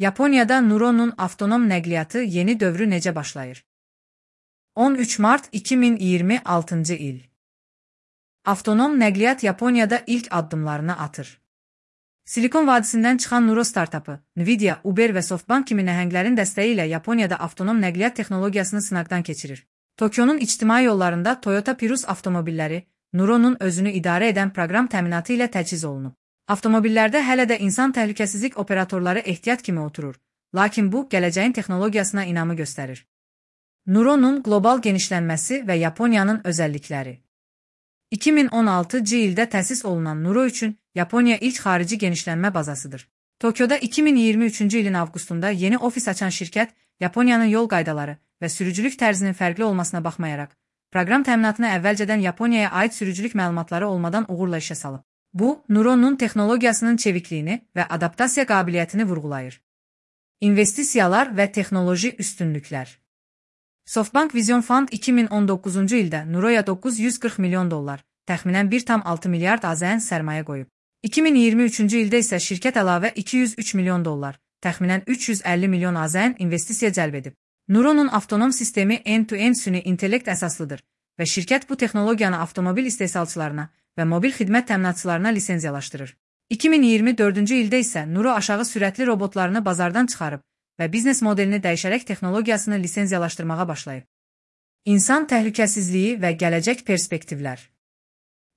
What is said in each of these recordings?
Yaponiyada Nuro'nun avtonom nəqliyyatı yeni dövrü necə başlayır? 13 mart 2026 il. Avtonom nəqliyyat Yaponiyada ilk addımlarını atır. Silikon vadisindən çıxan Nuro startapı, Nvidia, Uber və SoftBank kimi nəhənglərin dəstəyi ilə Yaponiyada avtonom nəqliyyat texnologiyasını sınaqdan keçirir. Tokionun ictimai yollarında Toyota Prius avtomobilləri Nuro'nun özünü idarə edən proqram təminatı ilə təchiz olunub. Avtomobillərdə hələ də insan təhlükəsizlik operatorları ehtiyat kimi oturur, lakin bu, gələcəyin texnologiyasına inamı göstərir. Nuro'nun qlobal genişlənməsi və Yaponiyanın özəllikləri. 2016 ildə təsis olunan Nuro üçün Yaponiya ilk xarici genişlənmə bazasıdır. Tokyoda 2023 ilin avqustunda yeni ofis açan şirkət, Yaponiyanın yol qaydaları və sürücülük tərzinin fərqli olmasına baxmayaraq, proqram təminatına əvvəlcədən Yaponiyaya aid sürücülük məlumatları olmadan uğurla işə salıb. Bu, Nuro'nun texnologiyasının çevikliyini və adaptasiya qabiliyyətini vurğulayır. İnvestisiyalar və texnoloji üstünlüklər. SoftBank Vision Fund 2019 ildə Nuro'ya $940 milyon, təxminən 1,6 milyard AZN sərmayə qoyub. 2023 ildə isə şirkət əlavə $203 milyon, təxminən 350 milyon AZN investisiya cəlb edib. Nuro'nun avtonom sistemi end-to-end süni intellekt əsaslıdır və şirkət bu texnologiyanı avtomobil istehsalçılarına və mobil xidmət təminatçılarına lisenziyalaşdırır. 2024 ildə isə Nuro aşağı sürətli robotlarını bazardan çıxarıb və biznes modelini dəyişərək texnologiyasını lisenziyalaşdırmağa başlayıb. İnsan təhlükəsizliyi və gələcək perspektivlər.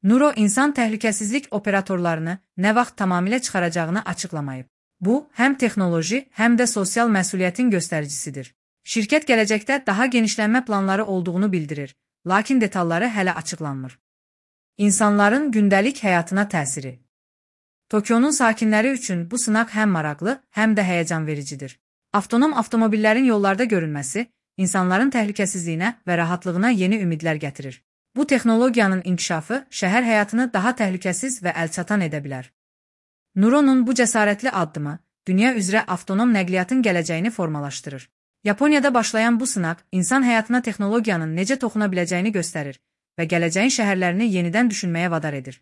Nuro insan təhlükəsizlik operatorlarını nə vaxt tamamilə çıxaracağını açıqlamayıb. Bu, həm texnoloji, həm də sosial məsuliyyətin göstəricisidir. Şirkət gələcəkdə daha genişlənmə planları olduğunu bildirir, lakin detalları hələ açıqlanmır. İnsanların gündəlik həyatına təsiri. Tokionun sakinləri üçün bu sınaq həm maraqlı, həm də həyəcan vericidir. Avtonom avtomobillərin yollarda görünməsi, insanların təhlükəsizliyinə və rahatlığına yeni ümidlər gətirir. Bu texnologiyanın inkişafı şəhər həyatını daha təhlükəsiz və əlçatan edə bilər. Nuro'nun bu cəsarətli addımı, dünya üzrə avtonom nəqliyyatın gələcəyini formalaşdırır. Yaponiyada başlayan bu sınaq, insan həyatına texnologiyanın necə toxuna biləcəyini göstərir və gələcəyin şəhərlərini yenidən düşünməyə vadar edir.